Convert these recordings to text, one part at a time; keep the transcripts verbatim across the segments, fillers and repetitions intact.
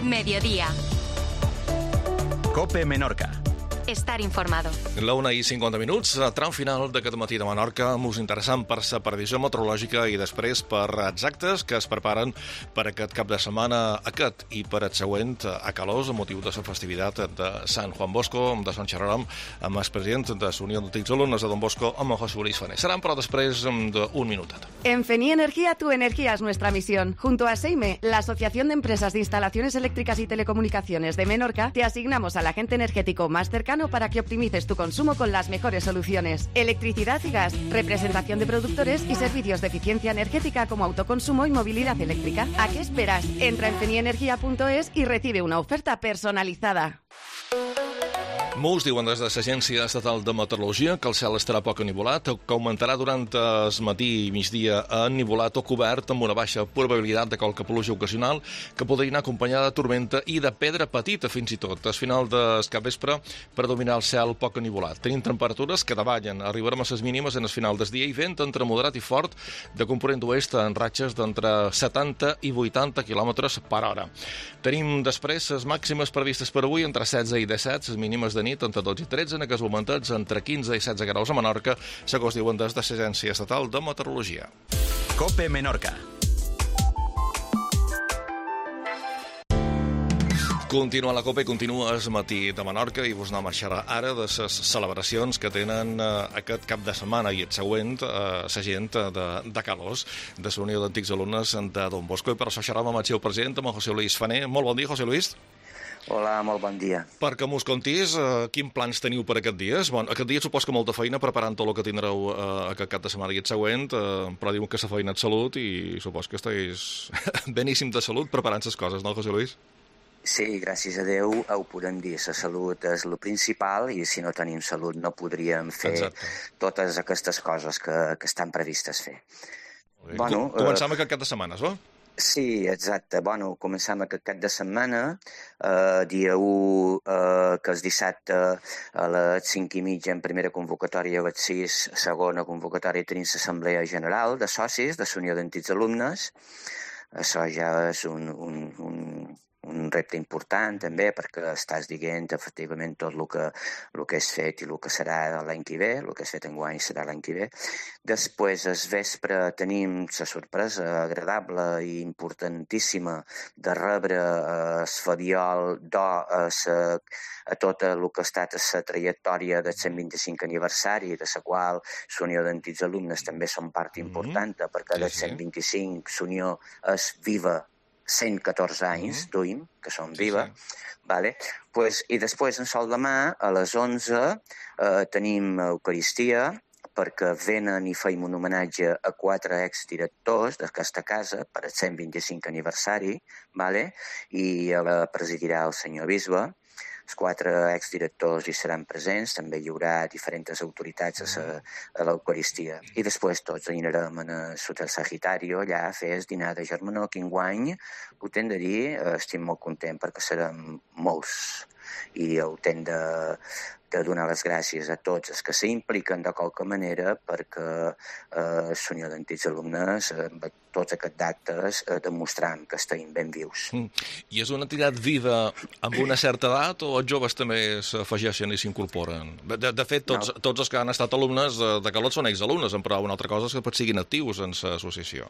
Mediodía. COPE Menorca. Estar informado. La una i cinquanta minuts, tram final d'aquest matí de Menorca, molt interessant per la previsió meteorològica i després per exactes que es preparen per aquest cap de setmana aquest i per el següent a Calós, a motiu de la festivitat de Sant Juan Bosco, de Sant Xerram, amb el president de la Unió d'Antics Alumnes de Don Bosco, amb José Luis Fané. Seran, però, després d'un minutet. En Feni Energía, tu energía es nuestra misión. Junto a SEIME, la Asociación de Empresas de Instalaciones Eléctricas y Telecomunicaciones de Menorca, te asignamos al agente energético más cercano para que optimices tu consumo con las mejores soluciones. Electricidad y gas, representación de productores y servicios de eficiencia energética como autoconsumo y movilidad eléctrica. ¿A qué esperas? Entra en fenienergia punto es y recibe una oferta personalizada. Molts diuen des de l'Agència Estatal de Meteorologia que el cel estarà poc ennivolat, que augmentarà durant el matí i migdia ennivolat o cobert amb una baixa probabilitat de qualque pluja ocasional que podria anar acompanyada de tormenta i de pedra petita fins i tot. Al final del capvespre predominar el cel poc ennivolat. Tenim temperatures que davallen, arribarem a les mínimes en el final del dia i vent entre moderat i fort de component oest en ratxes d'entre setanta i vuitanta quilòmetres per hora. Tenim després les màximes previstes per avui entre setze i disset, les mínimes de nit entre dotze i tretze, en aquests momentos entre quinze i setze graus a Menorca, segons diuen des de l'Agència Estatal de Meteorologia. COPE Menorca. Continua la COPE, continua el matí de Menorca i vos anem a xerrar ara de les celebracions que tenen eh, aquest cap de setmana i el següent eh, la gent de, de Calós, de la Unió d'Antics Alumnes de Don Bosco. I per això xerram amb el seu president, amb el José Luis Fané. Molt bon dia, José Luis. Hola, molt bon dia. Perquè mos contis, eh, quins plans teniu per aquest dies? Bon, aquest dia supos que molta feina preparant tot el que tindreu eh, aquest cap de setmana i el següent, eh, però diuen que la feina és salut i supos que esteu beníssim de salut preparant les coses, no, José Luis? Sí, gràcies a Déu ho podem dir. La salut és el principal i si no tenim salut no podríem fer Exacte. totes aquestes coses que, que estan previstes fer. Bueno, Començam eh... aquest cap de setmana, no? Sí, exacte. Bueno, començam aquest cap de setmana, eh, dia u, eh, que és dissabte, a les cinc i mitja en primera convocatòria, a les sis, segona convocatòria, tenim l'Assemblea General de Socis de la Unió d'Antics Alumnes. Això ja és un, un, un, un repte important també perquè estàs dient efectivament tot el que, el que és fet i el que serà l'any que ve, el que és fet enguany serà l'any que ve. Després, al vespre, tenim la sorpresa agradable i importantíssima de rebre el Fabiol d'Or a, a tot el que ha estat la trajectòria del cent vint-i-cinc aniversari, de la qual l'Unió d'Antics Alumnes també són part important, mm-hmm. perquè del cent vint-i-cinc l'Unió és viva cent catorze anys, mm-hmm. duim, que són viva, sí, sí. Vale? Pues, i després, en sol demà, a les onze, eh, tenim Eucaristia, perquè venen i feim un homenatge a quatre exdirectors d'aquesta casa per al cent vint-i-cinc aniversari, vale? I la presidirà el senyor bisbe. Els quatre exdirectors hi seran presents, també hi haurà diferents autoritats a, a l'Eucaristia. I després tots anirem a l'Hotel Sagitario, allà a fer el dinar de germanor, que enguany, ho tenc de dir, estic molt content perquè serem molts. I ho tenc de, de donar les gràcies a tots els que s'impliquen de qualque manera perquè eh, la Unió d'Antics Alumnes, eh, tots aquests actes, eh, demostrant que estem ben vius. Mm. I és una entitat viva amb una certa edat o els joves també s'afegeixen i s'incorporen? De, de fet, tots, no. tots els que han estat alumnes de, de Calot són exalumnes, però una altra cosa és que pot siguin actius en l'associació.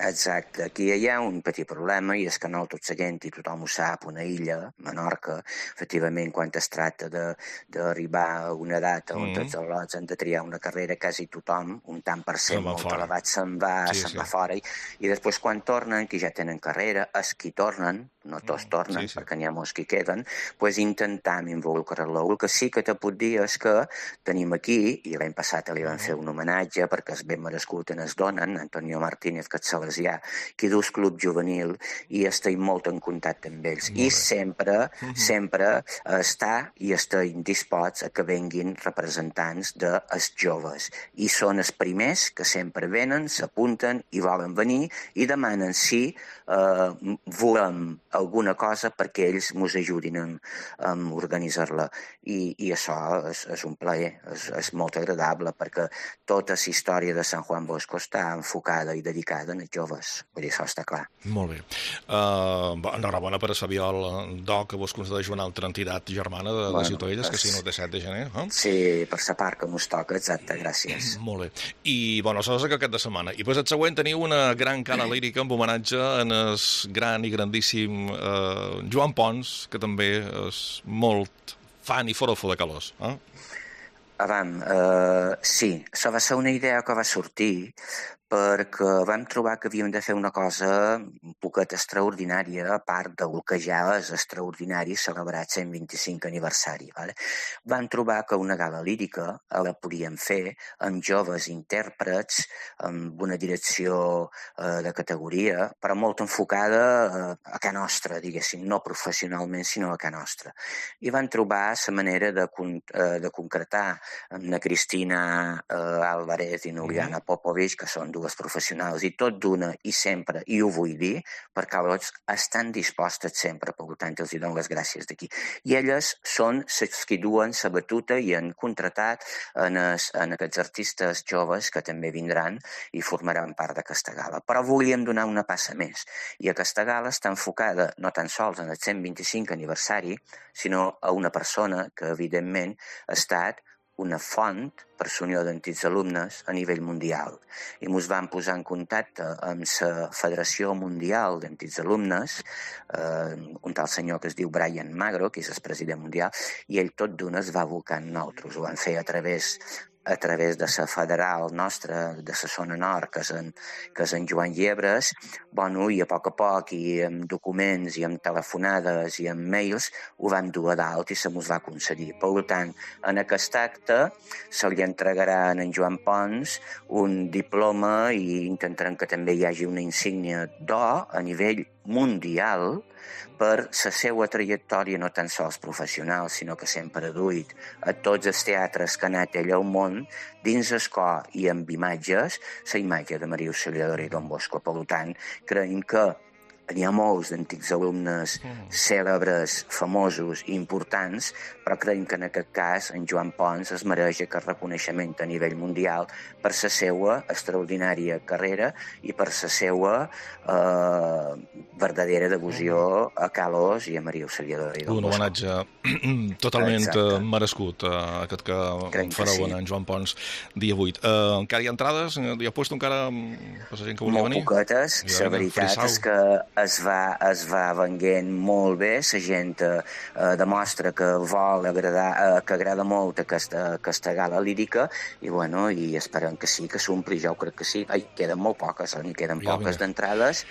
Exacte. Aquí hi ha un petit problema i és que no tota la gent i tothom ho sap, una illa, Menorca, efectivament, quan es tracta d'arribar a una data on mm. tots els lots han de triar una carrera, quasi tothom, un tant per cent molt fora. elevat, se'n va, sí, se'n sí. va fora. I, I després quan tornen, que ja tenen carrera, els qui tornen, no tots tornen, sí, sí. perquè n'hi ha molts que queden, pues intentam involucrar-lo. El que sí que te puc dir és que tenim aquí, i l'any passat li van fer un homenatge perquè és ben merescut en es donen, Antonio Martínez, que és salesià, que du el club juvenil i estem molt en contacte amb ells. Molt I bé. sempre, uh-huh. sempre està i estem disposts a que venguin representants dels joves. I són els primers que sempre venen, s'apunten i volen venir i demanen si eh, volem alguna cosa perquè ells ens ajudin a, a organitzar-la. I, i això és, és un plaer, és, és molt agradable perquè tota la història de Sant Juan Bosco està enfocada i dedicada en els joves, vull dir, això està clar. Molt bé. Uh, enhorabona per a Sabiol d'O, que vos concedeix una altra entitat germana de, bueno, de Ciutadelles, per... que sí, no té set de gener. Eh? Sí, per sa part que mos toca, exacte, gràcies. Molt bé. I, bueno, això és aquest cap de setmana. I pues el següent teniu una gran cana lírica amb homenatge en el gran i grandíssim uh, Joan Pons, que també és molt fan i forofo de calós. Eh? Avam, uh, sí, això va ser una idea que va sortir perquè vam trobar que havíem de fer una cosa un poquet extraordinària, a part del que ja és extraordinari celebrar el cent vint-i-cinc aniversari. Vale? Vam trobar que una gala lírica la podíem fer amb joves intèrprets, amb una direcció eh, de categoria, però molt enfocada eh, a ca nostra, diguéssim, no professionalment, sinó a ca nostra. I vam trobar la manera de, con eh, de concretar amb la Cristina eh, Álvarez i Nuliana Popovich, que són dues professionals, i tot d'una i sempre, i ho vull dir, perquè llavors estan dispostes sempre, per tant els dono les gràcies d'aquí. I elles són les que duen la batuta i han contratat en, es, en aquests artistes joves que també vindran i formaran part d'aquesta gala. Però volíem donar una passa més, i aquesta gala està enfocada no tan sols en el cent vint-i-cinc aniversari, sinó a una persona que, evidentment, ha estat una font per la Unió d'Antics Alumnes a nivell mundial. I ens vam posar en contacte amb la Federació Mundial d'Antics Alumnes, eh, un tal senyor que es diu Brian Magro, que és el president mundial, i ell tot d'una es va abocar en nosaltres. Ho van fer a través a través de la federal nostra, de la zona nord, que és en, que és en Joan Llebres, bueno, i a poc a poc, i amb documents, i amb telefonades, i amb mails, ho vam dur a dalt i se mos va concedir. Per tant, en aquest acte se li entregarà a en Joan Pons un diploma i intentarem que també hi hagi una insígnia d'O a nivell mundial per la seva trajectòria no tan sols professional, sinó que sempre ha duit a tots els teatres que ha anat ell al món, dins el cor i amb imatges, la imatge de Maria Auxiliadora i Don Bosco. Per tant, creiem que n'hi ha molts d'antics alumnes cèlebres, famosos i importants, però creiem que en aquest cas en Joan Pons es mereix aquest reconeixement a nivell mundial per la seva extraordinària carrera i per la seva eh, verdadera devoció a Calós i a Maria Auxiliadora i Don Bosco. Un homenatge totalment Exacte. merescut, uh, aquest que Crec fareu que sí. en Joan Pons dia vuit. Uh, encara hi ha entrades? Hi ha puesto encara per la gent que volia Molt venir? Molt poquetes. La veritat frisau. és que es va, es va venguent molt bé, la gent eh, demostra que vol agradar, eh, que agrada molt aquesta, aquesta gala lírica i, bueno, i esperem que sí, que s'ompli, jo crec que sí. Ai, queden molt poques, eh? N'hi queden ja, poques d'entrades,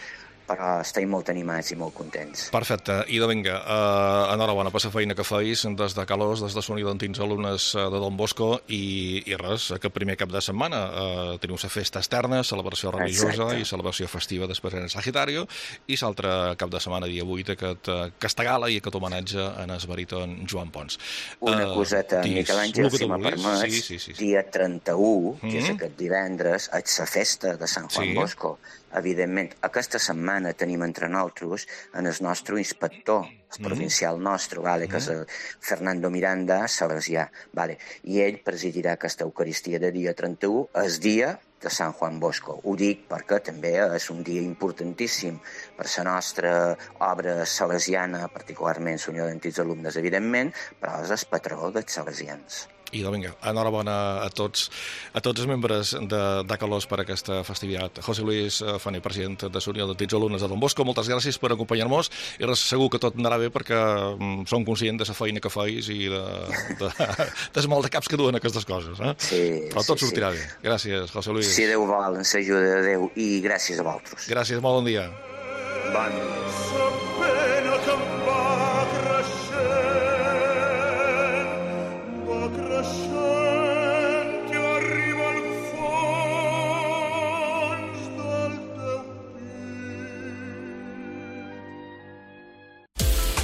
però estem molt animats i molt contents. Perfecte. I de vinga, uh, enhorabona per la feina que feis des de Calós, des de la Unió d'Antics Alumnes de Don Bosco i, i res, aquest primer cap de setmana uh, teniu la festa externa, celebració religiosa Exacte. i celebració festiva després en Sagitario i l'altre cap de setmana, dia vuit, aquest, uh, aquesta gala i aquest homenatge en el baríton Joan Pons. Una uh, coseta, Miquel Àngel, si me permets, sí, sí, sí, sí. dia trenta-u, que mm-hmm. és aquest divendres, és la festa de Sant Juan sí. Bosco. Evidentment, aquesta setmana tenim entre nosaltres en el nostre inspector, el provincial nostre, vale, que és el Fernando Miranda Salesià, vale, i ell presidirà aquesta Eucaristia de dia trenta-u, el dia de Sant Juan Bosco. Ho dic perquè també és un dia importantíssim per la nostra obra salesiana, particularment la Unió d'Antics Alumnes, evidentment, però és el patró dels salesians. I de vinga, enhorabona a tots, a tots els membres de, de Calós per aquesta festivitat. José Luis Fani, president de la Unió d'Antics Alumnes de Don Bosco, moltes gràcies per acompanyar-nos i segur que tot anarà bé perquè mm, som conscients de la feina que feis i de, de, de, de mal de caps que duen aquestes coses. Eh? Sí, Però tot sí, sortirà sí. bé. Gràcies, José Luis. Si Déu vol, ens ajuda de Déu i gràcies a vosaltres. Gràcies, molt bon dia. Bon dia.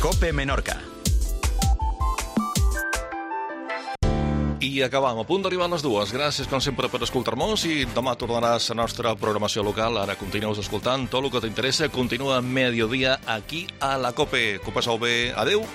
Cope Menorca. I acabam, a punt d'arribar a les dues. Gràcies, com sempre, per escoltar-nos i demà tornaràs a la nostra programació local. Ara continues escoltant tot el que t'interessa. Continua Mediodía aquí a la Cope. Que ho passeu bé. Adéu.